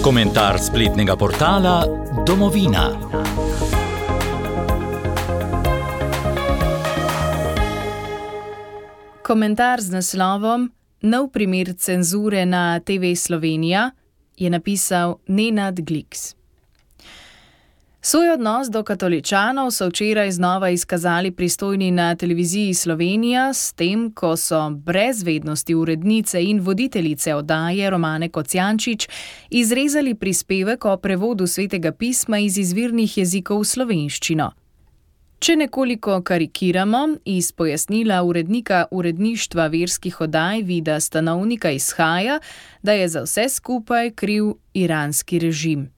Komentar spletnega portala Domovina. Komentar z naslovom Nov primer cenzure na TV Slovenija je napisal Nenad Gliks. Svoj odnos do katoličanov so včeraj znova izkazali pristojni na televiziji Slovenija s tem, ko so brez vednosti urednice in voditeljice oddaje Romane Kocijančič izrezali prispevek o prevodu Svetega pisma iz izvirnih jezikov v slovenščino. Če nekoliko karikiramo, iz pojasnila urednika uredništva verskih oddaj Vida Stanovnika izhaja, da je za vse skupaj kriv iranski režim.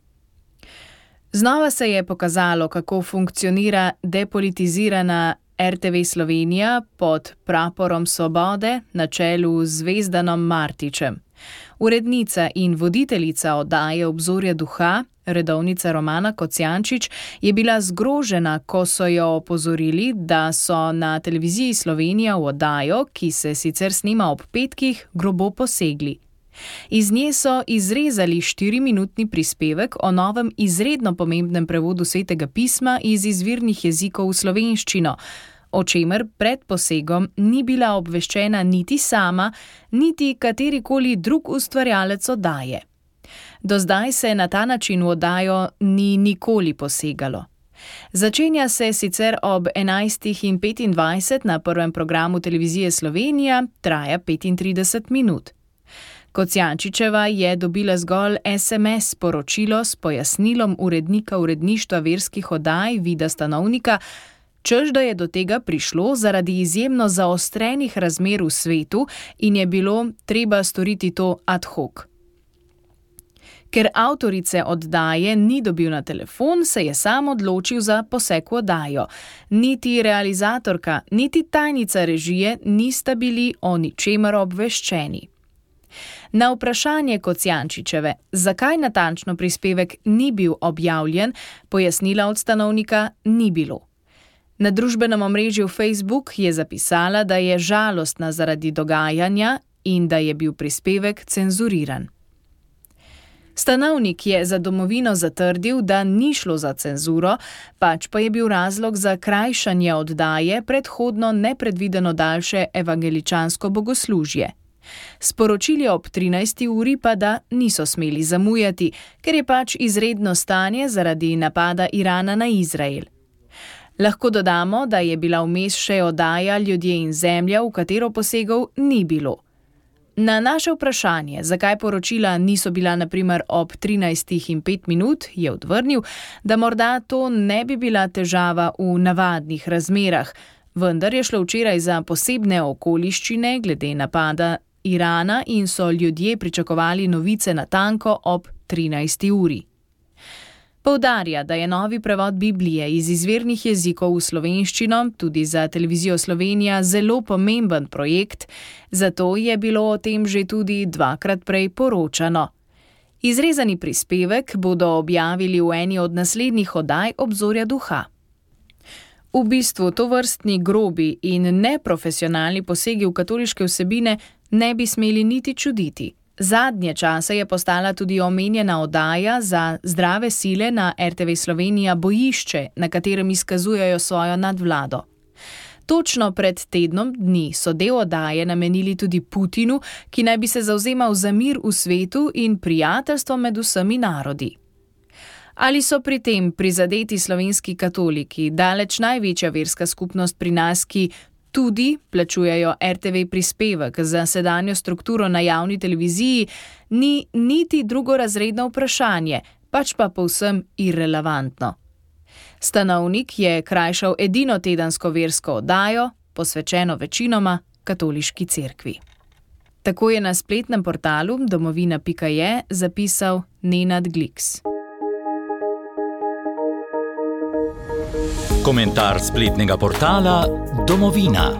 Znova se je pokazalo, kako funkcionira depolitizirana RTV Slovenija pod praporom Svobode na čelu z Zvezdanom Martičem. Urednica in voditeljica oddaje Obzorja duha, redovnica Romana Kocijančič, je bila zgrožena, ko so jo opozorili, da so na televiziji Slovenija v oddajo, ki se sicer snima ob petkih, grobo posegli. Iz nje so izrezali 4-minutni prispevek o novem izredno pomembnem prevodu Svetega pisma iz izvirnih jezikov v slovenščino, o čemer pred posegom ni bila obveščena niti sama, niti katerikoli drug ustvarjalec oddaje. Do zdaj se na ta način v oddajo ni nikoli posegalo. Začenja se sicer ob 11:25 na prvem programu televizije Slovenija, traja 35 minut. Kocijančičeva je dobila zgolj SMS sporočilo s pojasnilom urednika uredništva verskih oddaj Vida Stanovnika, češ da je do tega prišlo zaradi izjemno zaostrenih razmer v svetu in je bilo treba storiti to ad hoc. Ker avtorice oddaje ni dobil na telefon, se je sam odločil za poseg v oddajo. Niti realizatorka, niti tajnica režije nista bili o ničemer obveščeni. Na vprašanje Kocijančičeve, zakaj natančno prispevek ni bil objavljen, pojasnila od Stanovnika ni bilo. Na družbenem omrežju Facebook je zapisala, da je žalostna zaradi dogajanja in da je bil prispevek cenzuriran. Stanovnik je za Domovino zatrdil, da ni šlo za cenzuro, pač pa je bil razlog za krajšanje oddaje predhodno nepredvideno daljše evangeličansko bogoslužje. Sporočili ob 13. uri pa, da niso smeli zamujati, ker je pač izredno stanje zaradi napada Irana na Izrael. Lahko dodamo, da je bila vmes še oddaja Ljudje in zemlja, v katero posegov ni bilo. Na naše vprašanje, zakaj poročila niso bila na primer ob 13:05, je odvrnil, da morda to ne bi bila težava v navadnih razmerah, vendar je šlo včeraj za posebne okoliščine glede napada Irana in so ljudje pričakovali novice natanko ob 13. uri. Poudarja, da je novi prevod Biblije iz izvirnih jezikov v slovenščino tudi za televizijo Slovenija zelo pomemben projekt, zato je bilo o tem že tudi 2-krat prej poročano. Izrezani prispevek bodo objavili v eni od naslednjih oddaj Obzorja duha. V bistvu tovrstni grobi in neprofesionalni posegi v katoliške vsebine ne bi smeli niti čuditi. Zadnje čase je postala tudi omenjena oddaja za zdrave sile na RTV Slovenija Bojišče, na katerem izkazujejo svojo nadvlado. Točno pred tednom dni so del oddaje namenili tudi Putinu, ki naj bi se zavzemal za mir v svetu in prijateljstvo med vsemi narodi. Ali so pri tem prizadeti slovenski katoliki, daleč največja verska skupnost pri nas, ki tudi plačujejo RTV prispevek za sedanjo strukturo na javni televiziji, ni niti drugorazredno vprašanje, pač pa povsem irelevantno. Stanovnik je krajšal edino tedensko versko oddajo, posvečeno večinoma katoliški cerkvi. Tako je na spletnem portalu domovina.je zapisal Nenad Gliks. Komentar spletnega portala Domovina.